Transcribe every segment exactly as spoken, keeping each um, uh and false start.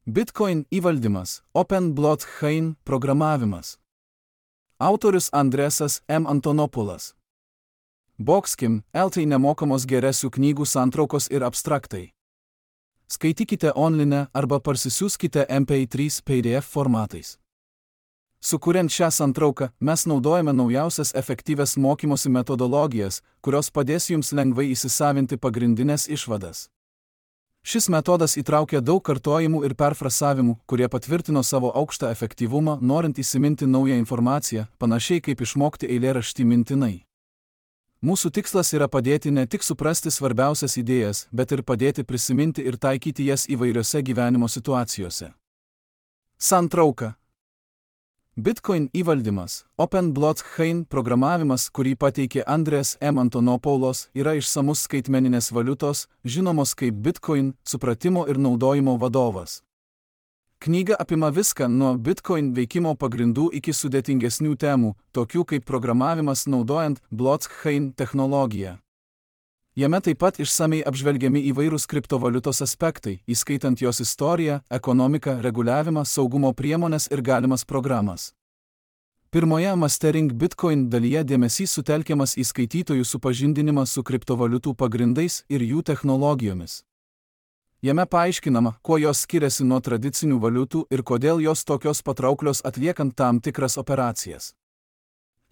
Bitcoin įvaldymas, Open Blockchain programavimas. Autorius Andresas M. Antonopoulos. Boxkim, L T nemokamos geresių knygų santraukos ir abstraktai. Skaitykite online arba parsisiųskite M P trys P D F formatais. Sukuriant šią santrauką, mes naudojame naujausias efektyvias mokymosi metodologijas, kurios padės jums lengvai įsisavinti pagrindinės išvadas. Šis metodas įtraukia daug kartojimų ir perfrasavimų, kurie patvirtino savo aukštą efektyvumą, norint įsiminti naują informaciją, panašiai kaip išmokti eilėraštį mintinai. Mūsų tikslas yra padėti ne tik suprasti svarbiausias idėjas, bet ir padėti prisiminti ir taikyti jas įvairiose gyvenimo situacijose. Santrauka. Bitcoin įvaldymas, Open Blockchain programavimas, kurį pateikė Andres M. Antonopoulos, yra išsamus skaitmeninės valiutos, žinomos kaip Bitcoin, supratimo ir naudojimo vadovas. Knyga apima viską nuo Bitcoin veikimo pagrindų iki sudėtingesnių temų, tokių kaip programavimas naudojant blockchain technologiją. Jame taip pat išsamiai apžvelgiami įvairūs kriptovaliutos aspektai, įskaitant jos istoriją, ekonomiką, reguliavimą, saugumo priemones ir galimas programas. Pirmoje Mastering Bitcoin dalyje dėmesys sutelkiamas į skaitytojų supažindinimą su kriptovaliutų pagrindais ir jų technologijomis. Jame paaiškinama, kuo jos skiriasi nuo tradicinių valiutų ir kodėl jos tokios patrauklios atliekant tam tikras operacijas.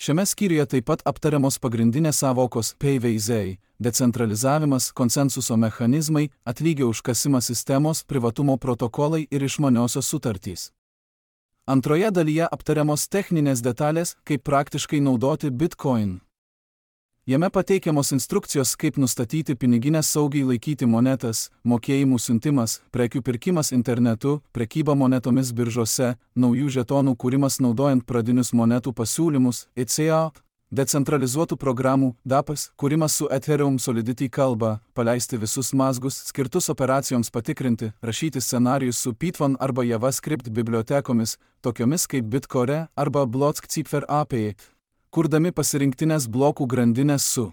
Šiame skyriuje taip pat aptariamos pagrindinės sąvokos P V Z, decentralizavimas, konsensuso mechanizmai, atlygio užkasimas sistemos, privatumo protokolai ir išmaniosios sutartys. Antroje dalyje aptariamos techninės detalės, kaip praktiškai naudoti Bitcoin. Jame pateikiamos instrukcijos, kaip nustatyti piniginę saugiai laikyti monetas, mokėjimų siuntimas, prekių pirkimas internetu, prekyba monetomis biržose, naujų žetonų kūrimas naudojant pradinius monetų pasiūlymus, E C A, decentralizuotų programų, D A P S, kūrimas su Ethereum Solidity kalba, paleisti visus mazgus, skirtus operacijoms patikrinti, rašyti scenarijus su Python arba JavaScript bibliotekomis, tokiomis kaip Bitcore arba Blockcipher A P I. Kurdami pasirinktinės blokų grandinės su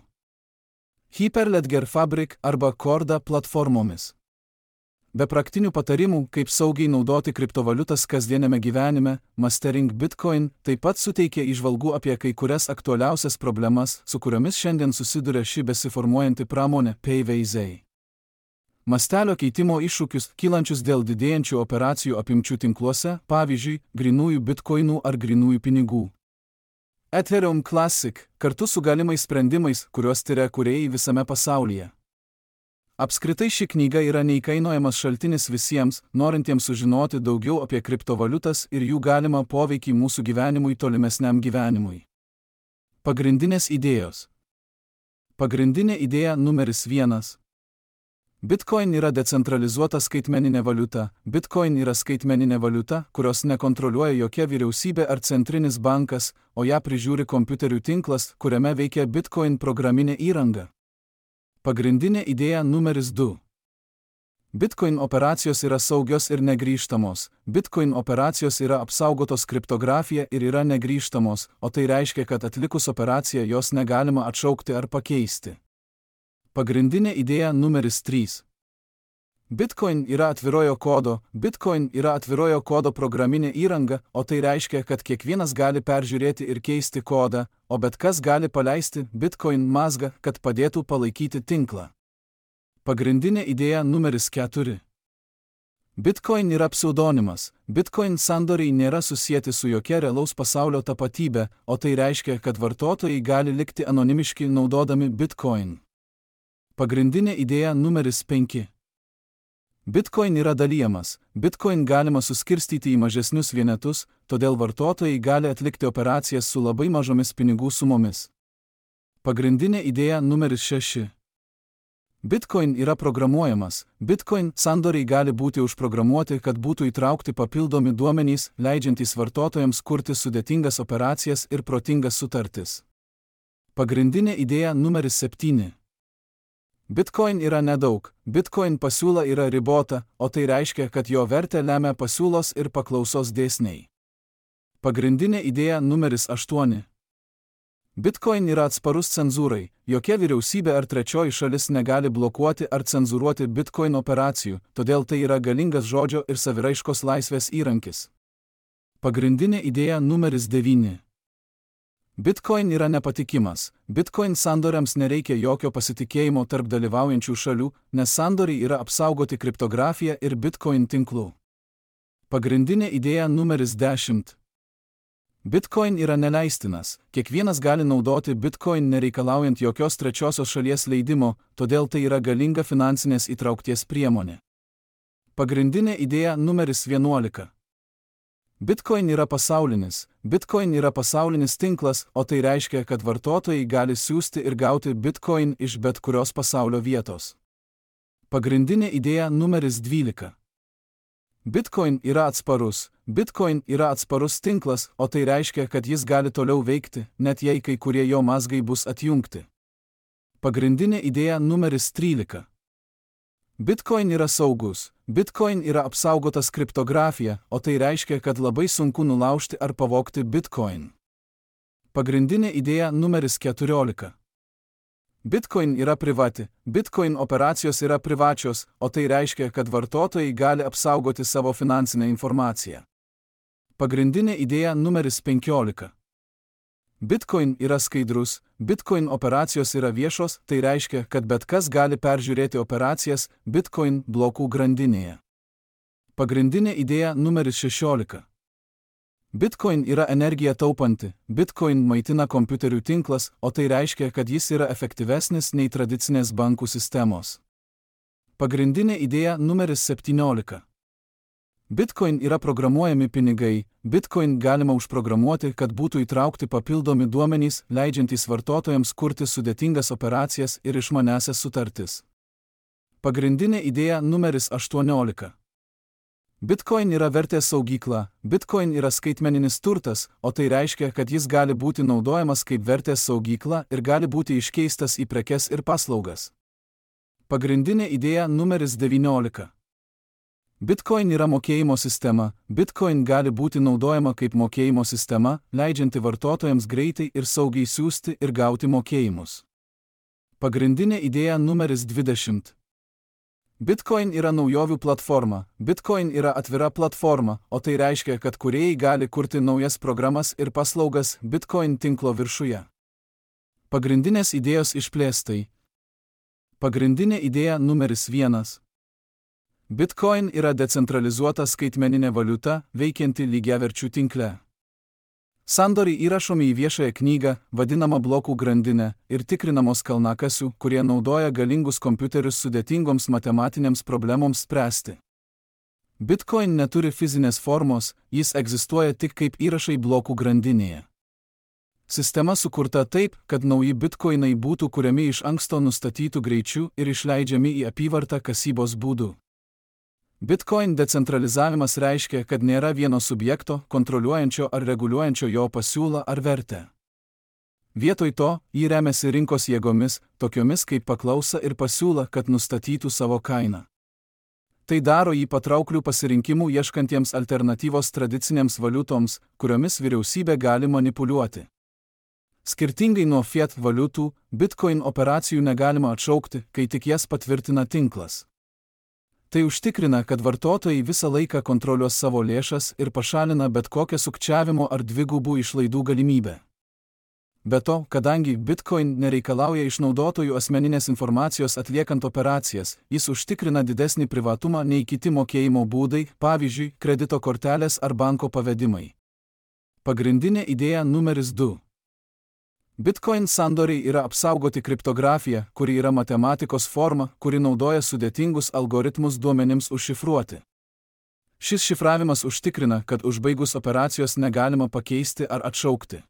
Hyperledger Fabric arba Corda platformomis. Be praktinių patarimų, kaip saugiai naudoti kriptovaliutas kasdienėme gyvenime, Mastering Bitcoin taip pat suteikia įžvalgų apie kai kurias aktualiausias problemas, su kuriomis šiandien susiduria ši besiformuojanti pramonė P V Z. Mastelio keitimo iššūkius, kylančius dėl didėjančių operacijų apimčių tinkluose, pavyzdžiui, grynųjų bitkoinų ar grynųjų pinigų. Ethereum Classic, kartu su galimais sprendimais, kuriuos tyria kūrėjai visame pasaulyje. Apskritai ši knyga yra neįkainojamas šaltinis visiems, norintiems sužinoti daugiau apie kriptovaliutas ir jų galimą poveikį mūsų gyvenimui tolimesniam gyvenimui. Pagrindinės idėjos. Pagrindinė idėja numeris vienas. Bitcoin yra decentralizuota skaitmeninė valiuta. Bitcoin yra skaitmeninė valiuta, kurios nekontroliuoja jokia vyriausybė ar centrinis bankas, o ją prižiūri kompiuterių tinklas, kuriame veikia Bitcoin programinė įranga. Pagrindinė idėja numeris du. Bitcoin operacijos yra saugios ir negrįžtamos. Bitcoin operacijos yra apsaugotos kriptografija ir yra negrįžtamos, o tai reiškia, kad atlikus operaciją jos negalima atšaukti ar pakeisti. Pagrindinė idėja numeris trys. Bitcoin yra atvirojo kodo, Bitcoin yra atvirojo kodo programinė įranga, o tai reiškia, kad kiekvienas gali peržiūrėti ir keisti kodą, o bet kas gali paleisti Bitcoin mazgą, kad padėtų palaikyti tinklą. Pagrindinė idėja numeris keturi. Bitcoin yra pseudonimas. Bitcoin sandoriai nėra susieti su jokia realaus pasaulio tapatybė, o tai reiškia, kad vartotojai gali likti anonimiški naudodami Bitcoin. Pagrindinė idėja numeris penki. Bitcoin yra dalijamas. Bitcoin galima suskirstyti į mažesnius vienetus, todėl vartotojai gali atlikti operacijas su labai mažomis pinigų sumomis. Pagrindinė idėja numeris šeši. Bitcoin yra programuojamas. Bitcoin sandoriai gali būti užprogramuoti, kad būtų įtraukti papildomi duomenys, leidžiantys vartotojams kurti sudėtingas operacijas ir protingas sutartis. Pagrindinė idėja numeris septyni. Bitcoin yra nedaug. Bitcoin pasiūla yra ribota, o tai reiškia, kad jo vertę lemia pasiūlos ir paklausos dėsniai. Pagrindinė idėja numeris aštuoni. Bitcoin yra atsparus cenzūrai, jokia vyriausybė ar trečioji šalis negali blokuoti ar cenzūruoti Bitcoin operacijų, todėl tai yra galingas žodžio ir saviraiškos laisvės įrankis. Pagrindinė idėja numeris devyni. Bitcoin yra nepatikimas. Bitcoin sandoriams nereikia jokio pasitikėjimo tarp dalyvaujančių šalių, nes sandoriai yra apsaugoti kriptografija ir Bitcoin tinklų. Pagrindinė idėja numeris dešimt. Bitcoin yra neleistinas. Kiekvienas gali naudoti Bitcoin nereikalaujant jokios trečiosios šalies leidimo, todėl tai yra galinga finansinės įtraukties priemonė. Pagrindinė idėja numeris vienuolika. Bitcoin yra pasaulinis. Bitcoin yra pasaulinis tinklas, o tai reiškia, kad vartotojai gali siųsti ir gauti Bitcoin iš bet kurios pasaulio vietos. Pagrindinė idėja numeris dvylika. Bitcoin yra atsparus. Bitcoin yra atsparus tinklas, o tai reiškia, kad jis gali toliau veikti, net jei kai kurie jo mazgai bus atjungti. Pagrindinė idėja numeris trylika. Bitcoin yra saugus. Bitcoin yra apsaugotas kriptografija, o tai reiškia, kad labai sunku nulaužti ar pavogti Bitcoin. Pagrindinė idėja numeris keturiolika. Bitcoin yra privati. Bitcoin operacijos yra privačios, o tai reiškia, kad vartotojai gali apsaugoti savo finansinę informaciją. Pagrindinė idėja numeris penkiolika. Bitcoin yra skaidrus. Bitcoin operacijos yra viešos, tai reiškia, kad bet kas gali peržiūrėti operacijas Bitcoin blokų grandinėje. Pagrindinė idėja numeris šešiolika. Bitcoin yra energiją taupanti. Bitcoin maitina kompiuterių tinklas, o tai reiškia, kad jis yra efektyvesnis nei tradicinės bankų sistemos. Pagrindinė idėja numeris septyniolika. Bitcoin yra programuojami pinigai. Bitcoin galima užprogramuoti, kad būtų įtraukti papildomi duomenys, leidžiantys vartotojams kurti sudėtingas operacijas ir išmanesias sutartis. Pagrindinė idėja numeris aštuoniolika. Bitcoin yra vertės saugykla. Bitcoin yra skaitmeninis turtas, o tai reiškia, kad jis gali būti naudojamas kaip vertės saugykla ir gali būti iškeistas į prekes ir paslaugas. Pagrindinė idėja numeris devyniolika. Bitcoin yra mokėjimo sistema. Bitcoin gali būti naudojama kaip mokėjimo sistema, leidžianti vartotojams greitai ir saugiai siųsti ir gauti mokėjimus. Pagrindinė idėja numeris dvidešimt. Bitcoin yra naujovių platforma. Bitcoin yra atvira platforma, o tai reiškia, kad kūrėjai gali kurti naujas programas ir paslaugas Bitcoin tinklo viršuje. Pagrindinės idėjos išplėstai. Pagrindinė idėja numeris vienas. Bitcoin yra decentralizuota skaitmeninė valiuta, veikianti lygiaverčių tinkle. Sandoriai įrašomi į viešąją knygą, vadinamą blokų grandinę, ir tikrinamos kalnakasių, kurie naudoja galingus kompiuterius sudėtingoms matematinėms problemoms spręsti. Bitcoin neturi fizinės formos, jis egzistuoja tik kaip įrašai blokų grandinėje. Sistema sukurta taip, kad nauji bitcoinai būtų kuriami iš anksto nustatytų greičių ir išleidžiami į apyvartą kasybos būdu. Bitcoin decentralizavimas reiškia, kad nėra vieno subjekto, kontroliuojančio ar reguliuojančio jo pasiūlą ar vertę. Vietoj to, jį remiasi rinkos jėgomis, tokiomis kaip paklausa ir pasiūla, kad nustatytų savo kainą. Tai daro jį patrauklių pasirinkimų ieškantiems alternatyvos tradicinėms valiutoms, kuriomis vyriausybė gali manipuliuoti. Skirtingai nuo fiat valiutų, Bitcoin operacijų negalima atšaukti, kai tik jas patvirtina tinklas. Tai užtikrina, kad vartotojai visą laiką kontroliuos savo lėšas ir pašalina bet kokią sukčiavimo ar dvigubų išlaidų galimybę. Be to, kadangi Bitcoin nereikalauja iš naudotojų asmeninės informacijos atliekant operacijas, jis užtikrina didesnį privatumą nei kiti mokėjimo būdai, pavyzdžiui, kredito kortelės ar banko pavedimai. Pagrindinė idėja numeris du. Bitcoin sandoriai yra apsaugoti kriptografija, kuri yra matematikos forma, kuri naudoja sudėtingus algoritmus duomenims užšifruoti. Šis šifravimas užtikrina, kad užbaigus operacijos negalima pakeisti ar atšaukti.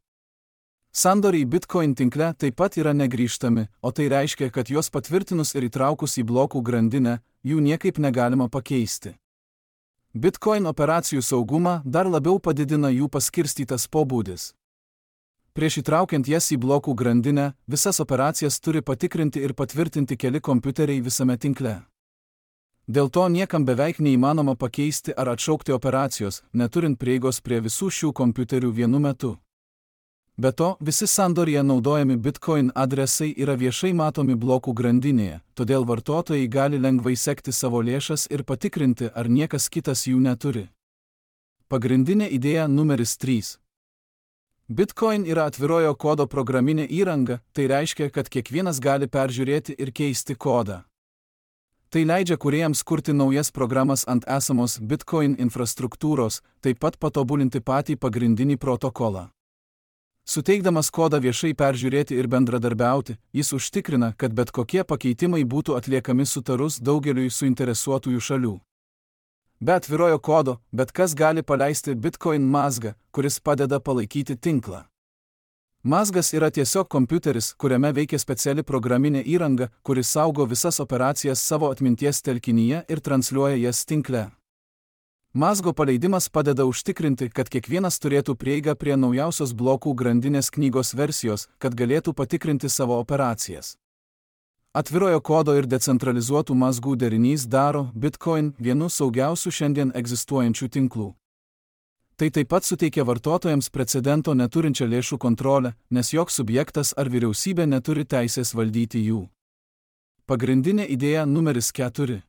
Sandoriai Bitcoin tinkle taip pat yra negrįžtami, o tai reiškia, kad juos patvirtinus ir įtraukus į blokų grandinę, jų niekaip negalima pakeisti. Bitcoin operacijų saugumą dar labiau padidina jų paskirstytas pobūdis. Prieš įtraukiant jas į blokų grandinę, visas operacijas turi patikrinti ir patvirtinti keli kompiuteriai visame tinkle. Dėl to niekam beveik neįmanoma pakeisti ar atšaukti operacijos, neturint prieigos prie visų šių kompiuterių vienu metu. Be to, visi sandoriuje naudojami Bitcoin adresai yra viešai matomi blokų grandinėje, todėl vartotojai gali lengvai sekti savo lėšas ir patikrinti, ar niekas kitas jų neturi. Pagrindinė idėja numeris trys. Bitcoin yra atvirojo kodo programinė įranga, tai reiškia, kad kiekvienas gali peržiūrėti ir keisti kodą. Tai leidžia kūrėjams kurti naujas programas ant esamos Bitcoin infrastruktūros, taip pat patobulinti patį pagrindinį protokolą. Suteikdamas kodą viešai peržiūrėti ir bendradarbiauti, jis užtikrina, kad bet kokie pakeitimai būtų atliekami sutarus daugeliui suinteresuotųjų šalių. Be atvirojo kodo, bet kas gali paleisti Bitcoin mazgą, kuris padeda palaikyti tinklą. Mazgas yra tiesiog kompiuteris, kuriame veikia speciali programinė įranga, kuris saugo visas operacijas savo atminties telkinyje ir transliuoja jas tinkle. Mazgo paleidimas padeda užtikrinti, kad kiekvienas turėtų prieigą prie naujausios blokų grandinės knygos versijos, kad galėtų patikrinti savo operacijas. Atvirojo kodo ir decentralizuotų mazgų derinys daro Bitcoin vienu saugiausių šiandien egzistuojančių tinklų. Tai taip pat suteikia vartotojams precedento neturinčią lėšų kontrolę, nes joks subjektas ar vyriausybė neturi teisės valdyti jų. Pagrindinė idėja numeris keturi.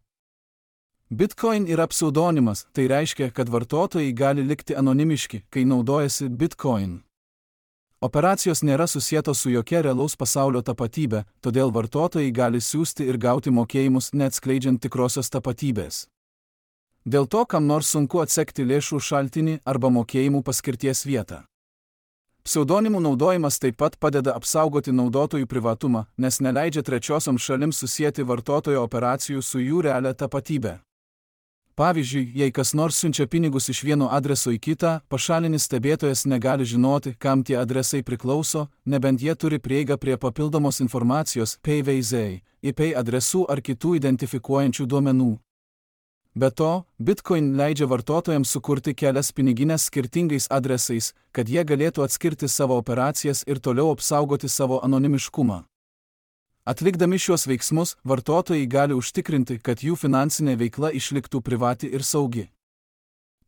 Bitcoin yra pseudonimas, tai reiškia, kad vartotojai gali likti anonimiški, kai naudojasi Bitcoin. Operacijos nėra susietos su jokia realaus pasaulio tapatybė, todėl vartotojai gali siųsti ir gauti mokėjimus neatskleidžiant tikrosios tapatybės. Dėl to kam nors sunku atsekti lėšų šaltinį arba mokėjimų paskirties vietą. Pseudonimų naudojimas taip pat padeda apsaugoti naudotojų privatumą, nes neleidžia trečiosioms šalims susieti vartotojo operacijų su jų realia tapatybė. Pavyzdžiui, jei kas nors siunčia pinigus iš vieno adreso į kitą, pašalinis stebėtojas negali žinoti, kam tie adresai priklauso, nebent jie turi prieigą prie papildomos informacijos P V Z, I P adresų ar kitų identifikuojančių duomenų. Be to, Bitcoin leidžia vartotojams sukurti kelias pinigines skirtingais adresais, kad jie galėtų atskirti savo operacijas ir toliau apsaugoti savo anonimiškumą. Atlikdami šiuos veiksmus, vartotojai gali užtikrinti, kad jų finansinė veikla išliktų privati ir saugi.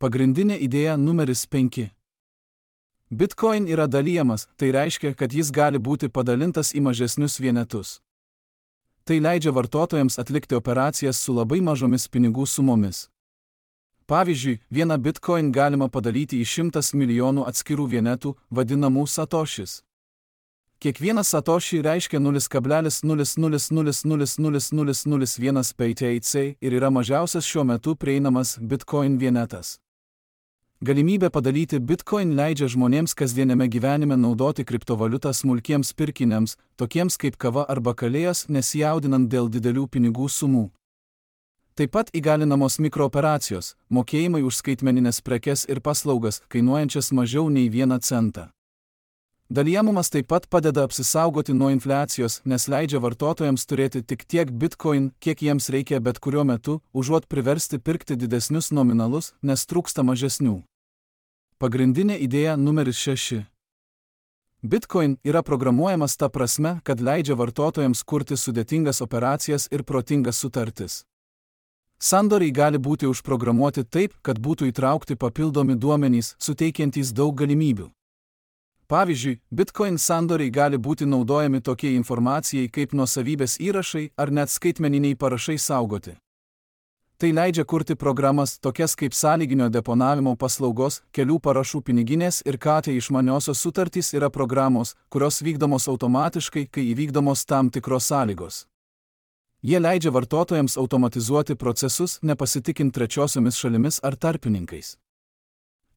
Pagrindinė idėja numeris penki. Bitcoin yra dalijamas, tai reiškia, kad jis gali būti padalintas į mažesnius vienetus. Tai leidžia vartotojams atlikti operacijas su labai mažomis pinigų sumomis. Pavyzdžiui, vieną Bitcoin galima padalyti į šimtas milijonų atskirų vienetų, vadinamų satošis. Kiekvienas satoši reiškia nulis kablelis nulis nulis nulis nulis nulis nulis nulis vienas B T C ir yra mažiausias šiuo metu prieinamas Bitcoin vienetas. Galimybė padalyti Bitcoin leidžia žmonėms kasdieniame gyvenime naudoti kriptovaliutą smulkiems pirkiniams, tokiems kaip kava arba kalėjas, nesijaudinant dėl didelių pinigų sumų. Taip pat įgalinamos mikrooperacijos, mokėjimai už skaitmenines prekes ir paslaugas, kainuojančias mažiau nei vieną centą. Dalijamumas taip pat padeda apsisaugoti nuo infliacijos, nes leidžia vartotojams turėti tik tiek Bitcoin, kiek jiems reikia bet kuriuo metu, užuot priversti pirkti didesnius nominalus, nes trūksta mažesnių. Pagrindinė idėja numeris šeši. Bitcoin yra programuojamas ta prasme, kad leidžia vartotojams kurti sudėtingas operacijas ir protingas sutartis. Sandoriai gali būti užprogramuoti taip, kad būtų įtraukti papildomi duomenys, suteikiantys daug galimybių. Pavyzdžiui, Bitcoin sandoriai gali būti naudojami tokiai informacijai kaip nuosavybės įrašai ar net skaitmeniniai parašai saugoti. Tai leidžia kurti programas tokias kaip sąlyginio deponavimo paslaugos, kelių parašų piniginės ir K T išmaniosios sutartys yra programos, kurios vykdomos automatiškai, kai įvykdomos tam tikros sąlygos. Jie leidžia vartotojams automatizuoti procesus, nepasitikint trečiosiomis šalimis ar tarpininkais.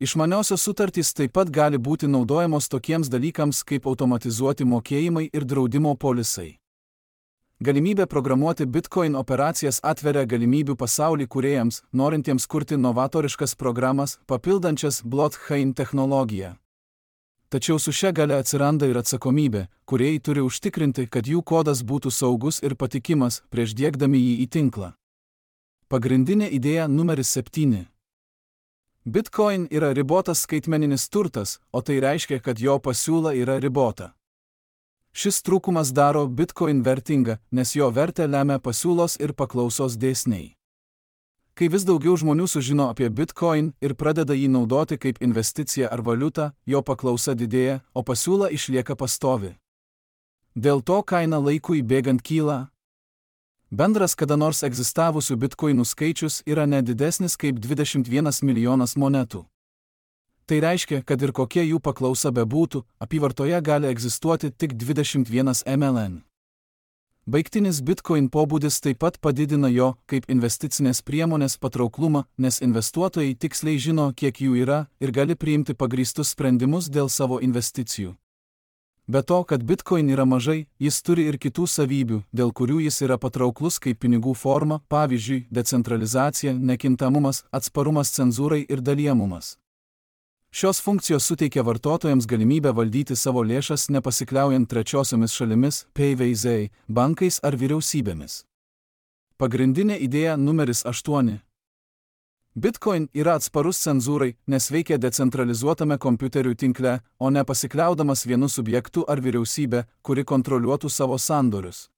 Išmaniosios sutartys taip pat gali būti naudojamos tokiems dalykams kaip automatizuoti mokėjimai ir draudimo polisai. Galimybė programuoti Bitcoin operacijas atveria galimybių pasaulį kūrėjams, norintiems kurti novatoriškas programas, papildančias blockchain technologiją. Tačiau su šia galia atsiranda ir atsakomybė, kūrėjai turi užtikrinti, kad jų kodas būtų saugus ir patikimas prieš diegdami jį į tinklą. Pagrindinė idėja numeris septyni. Bitcoin yra ribotas skaitmeninis turtas, o tai reiškia, kad jo pasiūla yra ribota. Šis trūkumas daro Bitcoin vertingą, nes jo vertę lemia pasiūlos ir paklausos dėsniai. Kai vis daugiau žmonių sužino apie Bitcoin ir pradeda jį naudoti kaip investiciją ar valiutą, jo paklausa didėja, o pasiūla išlieka pastovi. Dėl to kaina laikui bėgant kyla. Bendras kada nors egzistavusių bitkoinų skaičius yra nedidesnis kaip dvidešimt vienas milijonas monetų. Tai reiškia, kad ir kokia jų paklausa bebūtų, apyvartoje gali egzistuoti tik dvidešimt vienas milijonas. Baigtinis Bitcoin pobūdis taip pat padidina jo, kaip investicinės priemonės patrauklumą, nes investuotojai tiksliai žino, kiek jų yra ir gali priimti pagrįstus sprendimus dėl savo investicijų. Be to, kad Bitcoin yra mažai, jis turi ir kitų savybių, dėl kurių jis yra patrauklus kaip pinigų forma, pavyzdžiui, decentralizacija, nekintamumas, atsparumas cenzūrai ir dalijamumas. Šios funkcijos suteikia vartotojams galimybę valdyti savo lėšas nepasikliaujant trečiosiomis šalimis, P V Z, bankais ar vyriausybėmis. Pagrindinė idėja numeris aštuoni. Bitcoin yra atsparus cenzūrai, nes veikia decentralizuotame kompiuterių tinkle, o ne pasikliaudamas vienu subjektu ar vyriausybė, kuri kontroliuotų savo sandorius.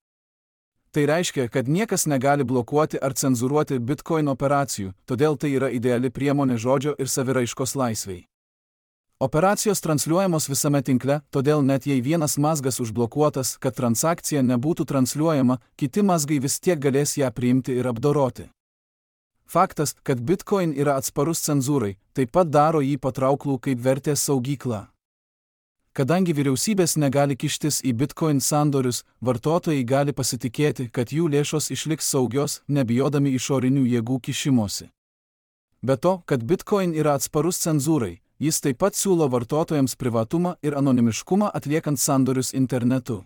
Tai reiškia, kad niekas negali blokuoti ar cenzūruoti Bitcoin operacijų, todėl tai yra ideali priemonė žodžio ir saviraiškos laisvei. Operacijos transliuojamos visame tinkle, todėl net jei vienas mazgas užblokuotas, kad transakcija nebūtų transliuojama, kiti mazgai vis tiek galės ją priimti ir apdoroti. Faktas, kad Bitcoin yra atsparus cenzūrai, taip pat daro jį patrauklų kaip vertės saugyklą. Kadangi vyriausybės negali kištis į Bitcoin sandorius, vartotojai gali pasitikėti, kad jų lėšos išliks saugios, nebijodami išorinių jėgų kišimosi. Be to, kad Bitcoin yra atsparus cenzūrai, jis taip pat siūlo vartotojams privatumą ir anonimiškumą atliekant sandorius internetu.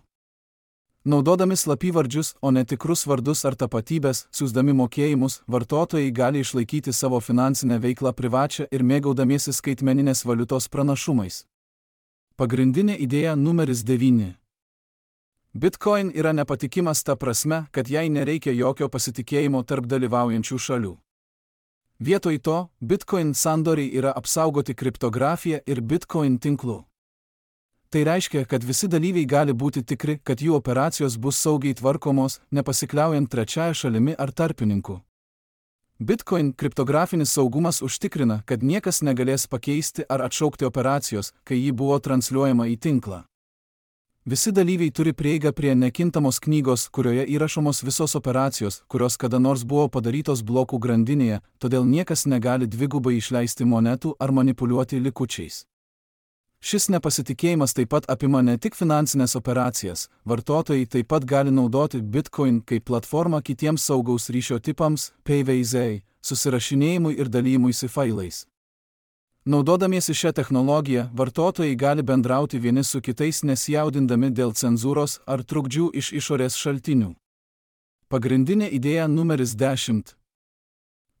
Naudodami slapyvardžius, o ne tikrus vardus ar tapatybės, siųsdami mokėjimus, vartotojai gali išlaikyti savo finansinę veiklą privačią ir mėgaudamiesi skaitmeninės valiutos pranašumais. Pagrindinė idėja numeris devyni. Bitcoin yra nepatikimas ta prasme, kad jai nereikia jokio pasitikėjimo tarp dalyvaujančių šalių. Vietoj to, Bitcoin sandoriai yra apsaugoti kriptografija ir Bitcoin tinklu. Tai reiškia, kad visi dalyviai gali būti tikri, kad jų operacijos bus saugiai tvarkomos, nepasikliaujant trečiąją šalimi ar tarpininku. Bitcoin kriptografinis saugumas užtikrina, kad niekas negalės pakeisti ar atšaukti operacijos, kai ji buvo transliuojama į tinklą. Visi dalyviai turi prieigą prie nekintamos knygos, kurioje įrašomos visos operacijos, kurios kada nors buvo padarytos blokų grandinėje, todėl niekas negali dvigubai išleisti monetų ar manipuliuoti likučiais. Šis nepasitikėjimas taip pat apima ne tik finansinės operacijas, vartotojai taip pat gali naudoti Bitcoin kaip platformą kitiems saugaus ryšio tipams, P V Z, susirašinėjimui ir dalymuisi failais. Naudodamiesi šią technologiją, vartotojai gali bendrauti vieni su kitais nesijaudindami dėl cenzūros ar trukdžių iš išorės šaltinių. Pagrindinė idėja numeris dešimt.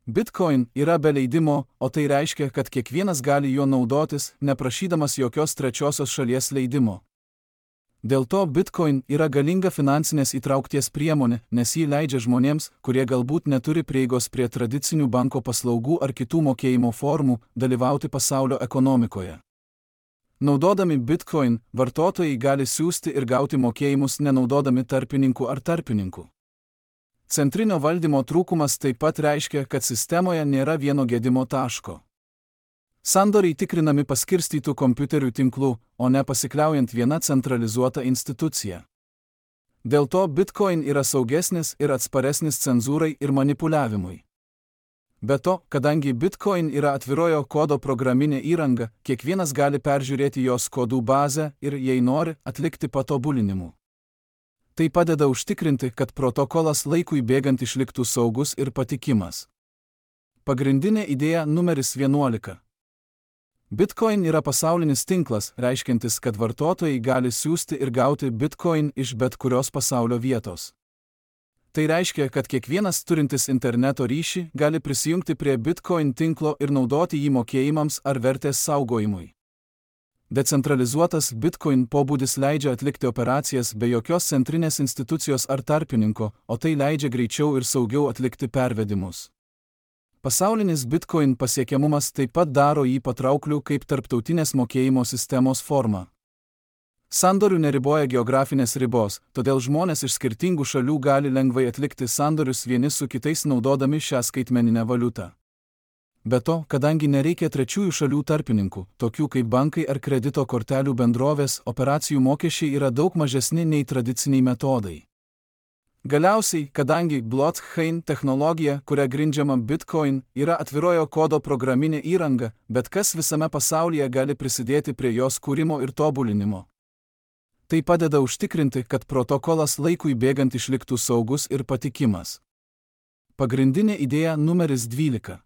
Bitcoin yra be leidimo, o tai reiškia, kad kiekvienas gali juo naudotis, neprašydamas jokios trečiosios šalies leidimo. Dėl to Bitcoin yra galinga finansinės įtraukties priemonė, nes jį leidžia žmonėms, kurie galbūt neturi prieigos prie tradicinių banko paslaugų ar kitų mokėjimo formų, dalyvauti pasaulio ekonomikoje. Naudodami Bitcoin, vartotojai gali siųsti ir gauti mokėjimus nenaudodami tarpininkų ar tarpininkų. Centrinio valdymo trūkumas taip pat reiškia, kad sistemoje nėra vieno gedimo taško. Sandoriai tikrinami paskirstytų kompiuterių tinklų, o ne pasikliaujant viena centralizuota institucija. Dėl to Bitcoin yra saugesnis ir atsparesnis cenzūrai ir manipuliavimui. Be to, kadangi Bitcoin yra atvirojo kodo programinė įranga, kiekvienas gali peržiūrėti jos kodų bazę ir, jei nori, atlikti patobulinimų. Tai padeda užtikrinti, kad protokolas laikui bėgant išliktų saugus ir patikimas. Pagrindinė idėja numeris vienuolika. Bitcoin yra pasaulinis tinklas, reiškiantis, kad vartotojai gali siųsti ir gauti Bitcoin iš bet kurios pasaulio vietos. Tai reiškia, kad kiekvienas turintis interneto ryšį gali prisijungti prie Bitcoin tinklo ir naudoti jį mokėjimams ar vertės saugojimui. Decentralizuotas Bitcoin pobūdis leidžia atlikti operacijas be jokios centrinės institucijos ar tarpininko, o tai leidžia greičiau ir saugiau atlikti pervedimus. Pasaulinis Bitcoin pasiekiamumas taip pat daro jį patraukliu kaip tarptautinės mokėjimo sistemos forma. Sandorių neriboja geografinės ribos, todėl žmonės iš skirtingų šalių gali lengvai atlikti sandorius vieni su kitais naudodami šią skaitmeninę valiutą. Be to, kadangi nereikia trečiųjų šalių tarpininkų, tokių kaip bankai ar kredito kortelių bendrovės, operacijų mokesčiai yra daug mažesni nei tradiciniai metodai. Galiausiai, kadangi blockchain technologija, kuria grindžiama Bitcoin, yra atvirojo kodo programinė įranga, bet kas visame pasaulyje gali prisidėti prie jos kūrimo ir tobulinimo. Tai padeda užtikrinti, kad protokolas laikui bėgant išliktų saugus ir patikimas. Pagrindinė idėja numeris dvylika.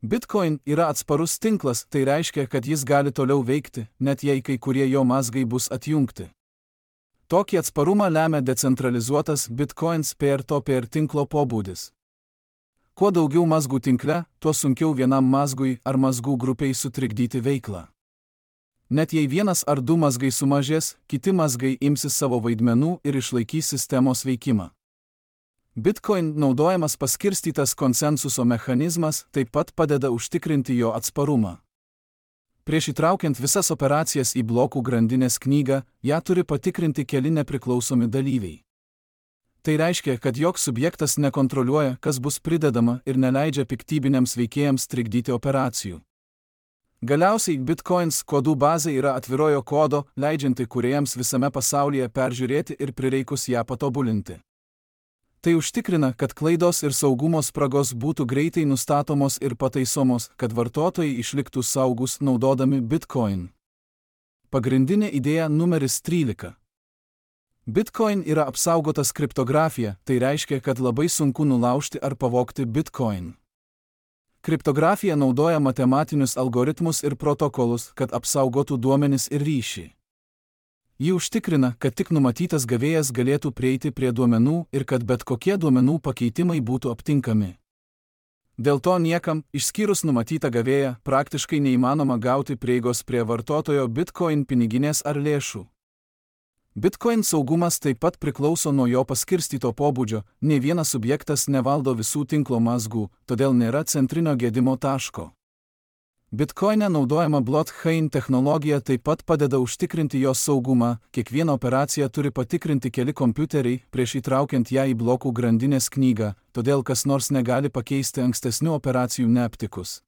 Bitcoin yra atsparus tinklas, tai reiškia, kad jis gali toliau veikti, net jei kai kurie jo mazgai bus atjungti. Tokį atsparumą lemia decentralizuotas Bitcoins peer-to-peer tinklo pobūdis. Kuo daugiau mazgų tinkle, tuo sunkiau vienam mazgui ar mazgų grupiai sutrikdyti veiklą. Net jei vienas ar du mazgai sumažės, kiti mazgai imsis savo vaidmenų ir išlaikys sistemos veikimą. Bitcoin naudojamas paskirstytas konsensuso mechanizmas taip pat padeda užtikrinti jo atsparumą. Prieš įtraukiant visas operacijas į blokų grandinės knygą, ją turi patikrinti keli nepriklausomi dalyviai. Tai reiškia, kad joks subjektas nekontroliuoja, kas bus pridedama ir neleidžia piktybiniams veikėjams trikdyti operacijų. Galiausiai Bitcoins kodų bazė yra atvirojo kodo, leidžianti kūrėjams visame pasaulyje peržiūrėti ir prireikus ją patobulinti. Tai užtikrina, kad klaidos ir saugumo spragos būtų greitai nustatomos ir pataisomos, kad vartotojai išliktų saugus naudodami Bitcoin. Pagrindinė idėja numeris trylika. Bitcoin yra apsaugotas kriptografija, tai reiškia, kad labai sunku nulaužti ar pavogti Bitcoin. Kriptografija naudoja matematinius algoritmus ir protokolus, kad apsaugotų duomenis ir ryšį. Ji užtikrina, kad tik numatytas gavėjas galėtų prieiti prie duomenų ir kad bet kokie duomenų pakeitimai būtų aptinkami. Dėl to niekam, išskyrus numatytą gavėją, praktiškai neįmanoma gauti prieigos prie vartotojo Bitcoin piniginės ar lėšų. Bitcoin saugumas taip pat priklauso nuo jo paskirstyto pobūdžio, nei vienas subjektas nevaldo visų tinklo mazgų, todėl nėra centrinio gedimo taško. Bitcoine naudojama blockchain technologija taip pat padeda užtikrinti jos saugumą, kiekvieną operaciją turi patikrinti keli kompiuteriai prieš įtraukiant ją į blokų grandinės knygą, todėl kas nors negali pakeisti ankstesnių operacijų neaptikus.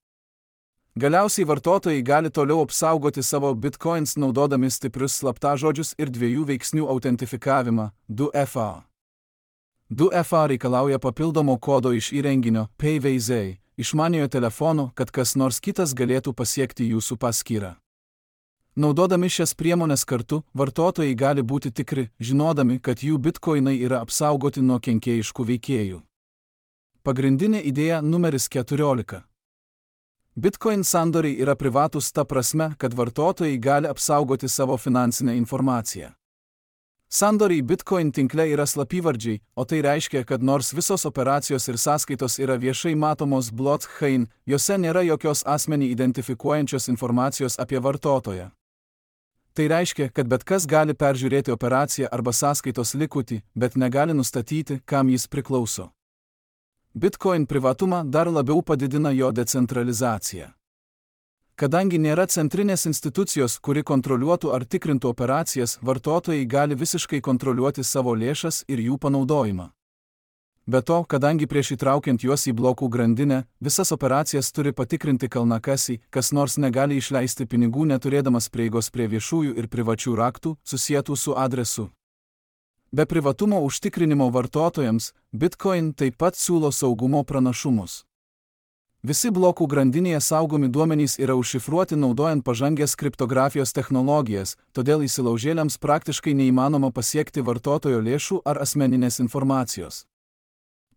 Galiausiai vartotojai gali toliau apsaugoti savo Bitcoins naudodami stiprius slaptažodžius ir dviejų veiksnių autentifikavimą, du F A. du F A reikalauja papildomo kodo iš įrenginio P V Z. Išmaniojo telefono, kad kas nors kitas galėtų pasiekti jūsų paskyrą. Naudodami šias priemonės kartu, vartotojai gali būti tikri, žinodami, kad jų bitkoinai yra apsaugoti nuo kenkėjiškų veikėjų. Pagrindinė idėja numeris keturiolika. Bitcoin sandoriai yra privatūs ta prasme, kad vartotojai gali apsaugoti savo finansinę informaciją. Sandoriai Bitcoin tinkle yra slapyvardžiai, o tai reiškia, kad nors visos operacijos ir sąskaitos yra viešai matomos blockchain, jose nėra jokios asmenį identifikuojančios informacijos apie vartotoją. Tai reiškia, kad bet kas gali peržiūrėti operaciją arba sąskaitos likutį, bet negali nustatyti, kam jis priklauso. Bitcoin privatumą dar labiau padidina jo decentralizacija. Kadangi nėra centrinės institucijos, kuri kontroliuotų ar tikrintų operacijas, vartotojai gali visiškai kontroliuoti savo lėšas ir jų panaudojimą. Be to, kadangi prieš įtraukiant juos į blokų grandinę, visas operacijas turi patikrinti kalnakasiai, kas nors negali išleisti pinigų neturėdamas prieigos prie viešųjų ir privačių raktų, susietų su adresu. Be privatumo užtikrinimo vartotojams, Bitcoin taip pat siūlo saugumo pranašumus. Visi blokų grandinėje saugomi duomenys yra užšifruoti naudojant pažangės kriptografijos technologijas, todėl įsilaužėliams praktiškai neįmanoma pasiekti vartotojo lėšų ar asmeninės informacijos.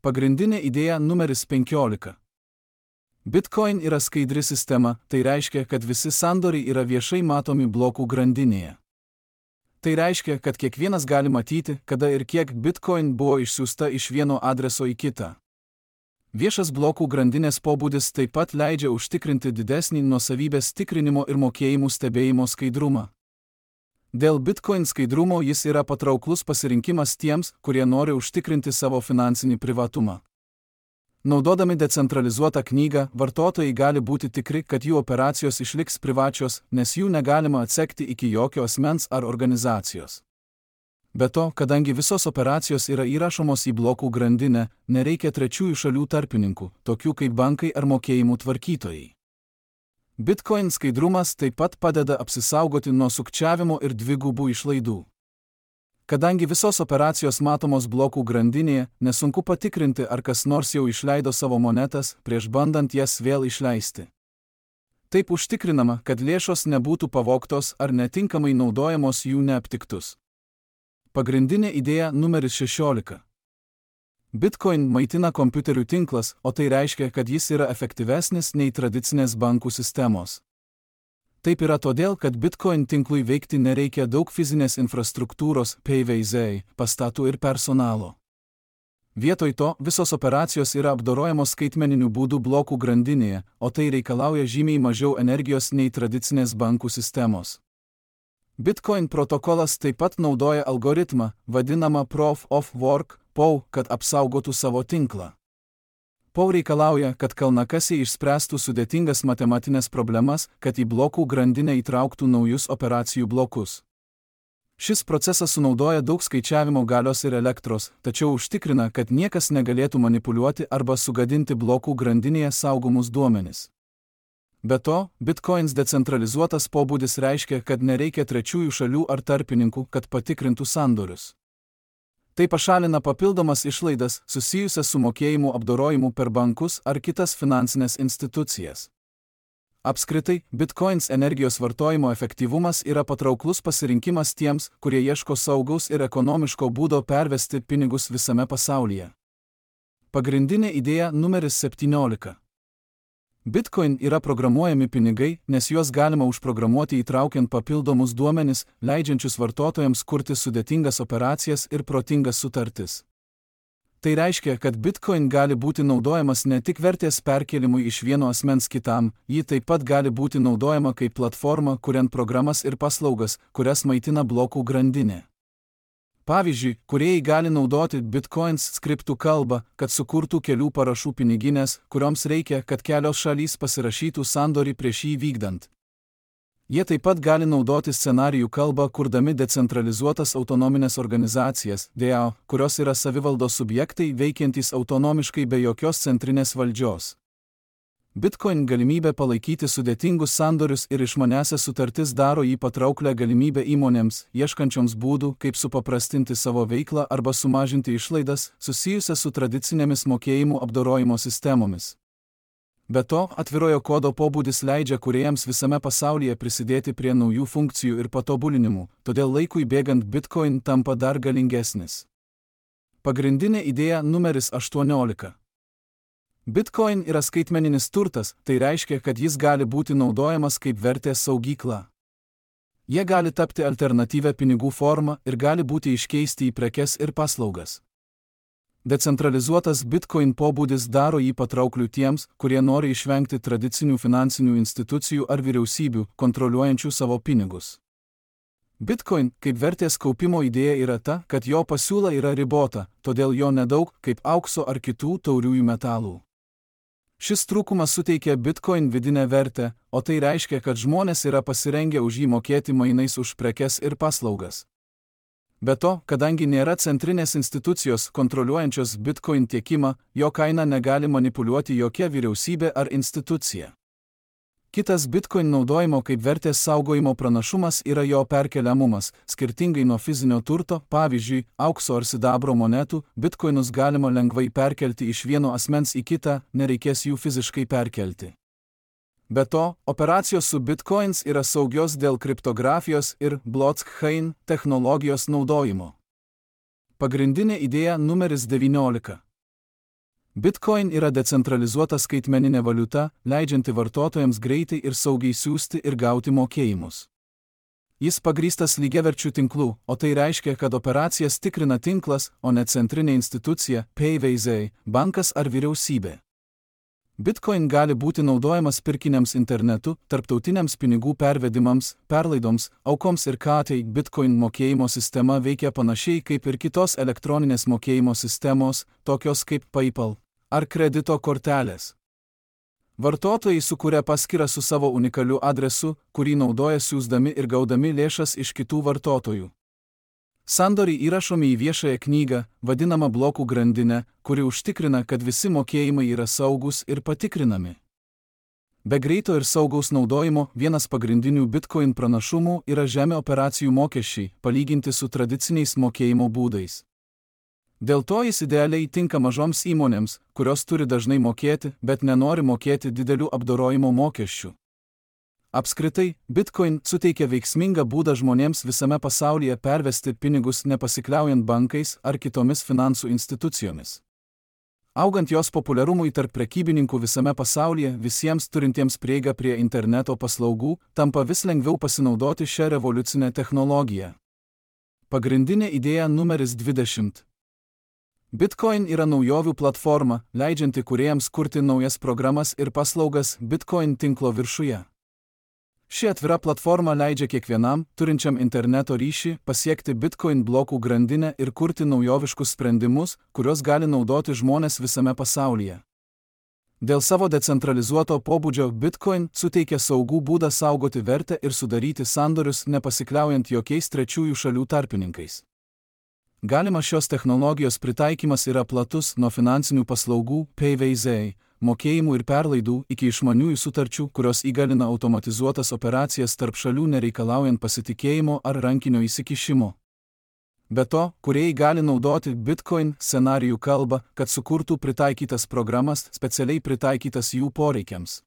Pagrindinė idėja numeris penkiolika. Bitcoin yra skaidri sistema, tai reiškia, kad visi sandoriai yra viešai matomi blokų grandinėje. Tai reiškia, kad kiekvienas gali matyti, kada ir kiek Bitcoin buvo išsiųsta iš vieno adreso į kitą. Viešas blokų grandinės pobūdis taip pat leidžia užtikrinti didesnį nuosavybės tikrinimo ir mokėjimų stebėjimo skaidrumą. Dėl Bitcoin skaidrumo jis yra patrauklus pasirinkimas tiems, kurie nori užtikrinti savo finansinį privatumą. Naudodami decentralizuotą knygą, vartotojai gali būti tikri, kad jų operacijos išliks privačios, nes jų negalima atsekti iki jokio asmens ar organizacijos. Be to, kadangi visos operacijos yra įrašomos į blokų grandinę, nereikia trečiųjų šalių tarpininkų, tokių kaip bankai ar mokėjimų tvarkytojai. Bitcoin skaidrumas taip pat padeda apsisaugoti nuo sukčiavimo ir dvigubų išlaidų. Kadangi visos operacijos matomos blokų grandinėje, nesunku patikrinti, ar kas nors jau išleido savo monetas, prieš bandant jas vėl išleisti. Taip užtikrinama, kad lėšos nebūtų pavogtos ar netinkamai naudojamos jų neaptiktus. Pagrindinė idėja numeris šešiolika. Bitcoin maitina kompiuterių tinklas, o tai reiškia, kad jis yra efektyvesnis nei tradicinės bankų sistemos. Taip yra todėl, kad Bitcoin tinklui veikti nereikia daug fizinės infrastruktūros, P V Z, pastatų ir personalo. Vietoj to, visos operacijos yra apdorojamos skaitmeniniu būdu blokų grandinėje, o tai reikalauja žymiai mažiau energijos nei tradicinės bankų sistemos. Bitcoin protokolas taip pat naudoja algoritmą, vadinamą Proof of Work, P O W, kad apsaugotų savo tinklą. P O W reikalauja, kad kalnakasiai išspręstų sudėtingas matematinės problemas, kad į blokų grandinę įtrauktų naujus operacijų blokus. Šis procesas sunaudoja daug skaičiavimo galios ir elektros, tačiau užtikrina, kad niekas negalėtų manipuliuoti arba sugadinti blokų grandinėje saugomus duomenis. Be to, Bitcoins decentralizuotas pobūdis reiškia, kad nereikia trečiųjų šalių ar tarpininkų, kad patikrintų sandorius. Tai pašalina papildomas išlaidas susijusias su mokėjimų apdorojimu per bankus ar kitas finansinės institucijas. Apskritai, Bitcoins energijos vartojimo efektyvumas yra patrauklus pasirinkimas tiems, kurie ieško saugaus ir ekonomiško būdo pervesti pinigus visame pasaulyje. Pagrindinė idėja numeris septyniolika. Bitcoin yra programuojami pinigai, nes juos galima užprogramuoti įtraukiant papildomus duomenis, leidžiančius vartotojams kurti sudėtingas operacijas ir protingas sutartis. Tai reiškia, kad Bitcoin gali būti naudojamas ne tik vertės perkėlimui iš vieno asmens kitam, ji taip pat gali būti naudojama kaip platforma, kuriant programas ir paslaugas, kurias maitina blokų grandinė. Pavyzdžiui, kūrėjai gali naudoti Bitcoins skriptų kalbą, kad sukurtų kelių parašų piniginės, kurioms reikia, kad kelios šalys pasirašytų sandorį prieš jį vykdant. Jie taip pat gali naudoti scenarijų kalbą, kurdami decentralizuotas autonominės organizacijas, D A O, kurios yra savivaldos subjektai veikiantys autonomiškai be jokios centrinės valdžios. Bitcoin galimybė palaikyti sudėtingus sandorius ir išmanesias sutartis daro jį patrauklę galimybę įmonėms, ieškančioms būdų, kaip supaprastinti savo veiklą arba sumažinti išlaidas susijusias su tradicinėmis mokėjimų apdorojimo sistemomis. Be to, atvirojo kodo pobūdis leidžia kūrėjams visame pasaulyje prisidėti prie naujų funkcijų ir patobulinimų, todėl laikui bėgant Bitcoin tampa dar galingesnis. Pagrindinė idėja numeris aštuoniolika. Bitcoin yra skaitmeninis turtas, tai reiškia, kad jis gali būti naudojamas kaip vertės saugykla. Jie gali tapti alternatyvę pinigų formą ir gali būti iškeisti į prekes ir paslaugas. Decentralizuotas Bitcoin pobūdis daro jį patraukliu tiems, kurie nori išvengti tradicinių finansinių institucijų ar vyriausybių, kontroliuojančių savo pinigus. Bitcoin kaip vertės kaupimo idėja yra ta, kad jo pasiūla yra ribota, todėl jo nedaug kaip aukso ar kitų tauriųjų metalų. Šis trūkumas suteikia Bitcoin vidinę vertę, o tai reiškia, kad žmonės yra pasirengę už jį mokėti mainais už prekes ir paslaugas. Be to, kadangi nėra centrinės institucijos kontroliuojančios Bitcoin tiekimą, jo kainą negali manipuliuoti jokia vyriausybė ar institucija. Kitas Bitcoin naudojimo kaip vertės saugojimo pranašumas yra jo perkeliamumas. Skirtingai nuo fizinio turto, pavyzdžiui, aukso ar sidabro monetų, Bitcoinus galima lengvai perkelti iš vieno asmens į kitą, nereikės jų fiziškai perkelti. Be to, operacijos su Bitcoins yra saugios dėl kriptografijos ir blockchain technologijos naudojimo. Pagrindinė idėja numeris devyniolika. Bitcoin yra decentralizuota skaitmeninė valiuta, leidžianti vartotojams greitai ir saugiai siųsti ir gauti mokėjimus. Jis pagrįstas lygiaverčių tinklų, o tai reiškia, kad operacijas tikrina tinklas, o ne centrinė institucija, P V Z, bankas ar vyriausybė. Bitcoin gali būti naudojamas pirkiniams internetu, tarptautiniams pinigų pervedimams, perlaidoms, aukoms ir katai. Bitcoin mokėjimo sistema veikia panašiai kaip ir kitos elektroninės mokėjimo sistemos, tokios kaip PayPal. ar kredito kortelės. Vartotojai sukuria paskyrą su savo unikaliu adresu, kurį naudoja siųsdami ir gaudami lėšas iš kitų vartotojų. Sandoriai įrašomi į viešąją knygą, vadinamą blokų grandinę, kuri užtikrina, kad visi mokėjimai yra saugus ir patikrinami. Be greito ir saugaus naudojimo vienas pagrindinių Bitcoin pranašumų yra žemi operacijų mokesčiai, palyginti su tradiciniais mokėjimo būdais. Dėl to jis idealiai tinka mažoms įmonėms, kurios turi dažnai mokėti, bet nenori mokėti didelių apdorojimo mokesčių. Apskritai, Bitcoin suteikia veiksmingą būdą žmonėms visame pasaulyje pervesti pinigus nepasikliaujant bankais ar kitomis finansų institucijomis. Augant jos populiarumui tarp prekybininkų visame pasaulyje, visiems turintiems prieigą prie interneto paslaugų, tampa vis lengviau pasinaudoti šią revoliucinę technologiją. Pagrindinė idėja numeris dvidešimt. Bitcoin yra naujovių platforma, leidžianti kūrėjams kurti naujas programas ir paslaugas Bitcoin tinklo viršuje. Ši atvira platforma leidžia kiekvienam, turinčiam interneto ryšį, pasiekti Bitcoin blokų grandinę ir kurti naujoviškus sprendimus, kuriuos gali naudoti žmonės visame pasaulyje. Dėl savo decentralizuoto pobūdžio Bitcoin suteikia saugų būdą saugoti vertę ir sudaryti sandorius nepasikliaujant jokiais trečiųjų šalių tarpininkais. Galimas šios technologijos pritaikymas yra platus nuo finansinių paslaugų, P V Z, mokėjimų ir perlaidų iki išmaniųjų sutarčių, kurios įgalina automatizuotas operacijas tarp šalių nereikalaujant pasitikėjimo ar rankinio įsikišimo. Be to, kūrėjai gali naudoti Bitcoin scenarijų kalbą, kad sukurtų pritaikytas programas, specialiai pritaikytas jų poreikiams.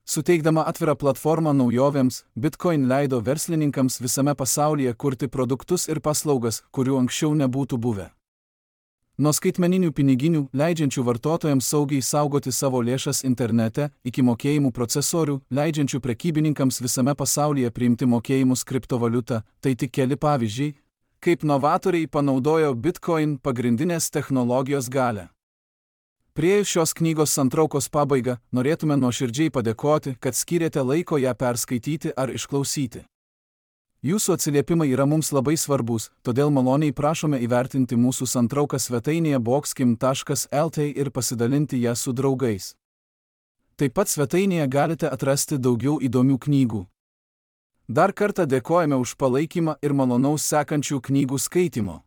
Suteikdama atvirą platformą naujovėms, Bitcoin leido verslininkams visame pasaulyje kurti produktus ir paslaugas, kurių anksčiau nebūtų buvę. Nuo skaitmeninių piniginių, leidžiančių vartotojams saugiai saugoti savo lėšas internete, iki mokėjimų procesorių, leidžiančių prekybininkams visame pasaulyje priimti mokėjimus kriptovaliuta, tai tik keli pavyzdžiai, kaip novatoriai panaudojo Bitcoin pagrindinės technologijos galią. Priėjus šios knygos santraukos pabaigą, norėtume nuoširdžiai padėkoti, kad skyrėte laiko ją perskaityti ar išklausyti. Jūsų atsiliepimai yra mums labai svarbus, todėl maloniai prašome įvertinti mūsų santrauką svetainėje boxkim taškas L T ir pasidalinti ją su draugais. Taip pat svetainėje galite atrasti daugiau įdomių knygų. Dar kartą dėkojame už palaikymą ir malonaus sekančių knygų skaitimo.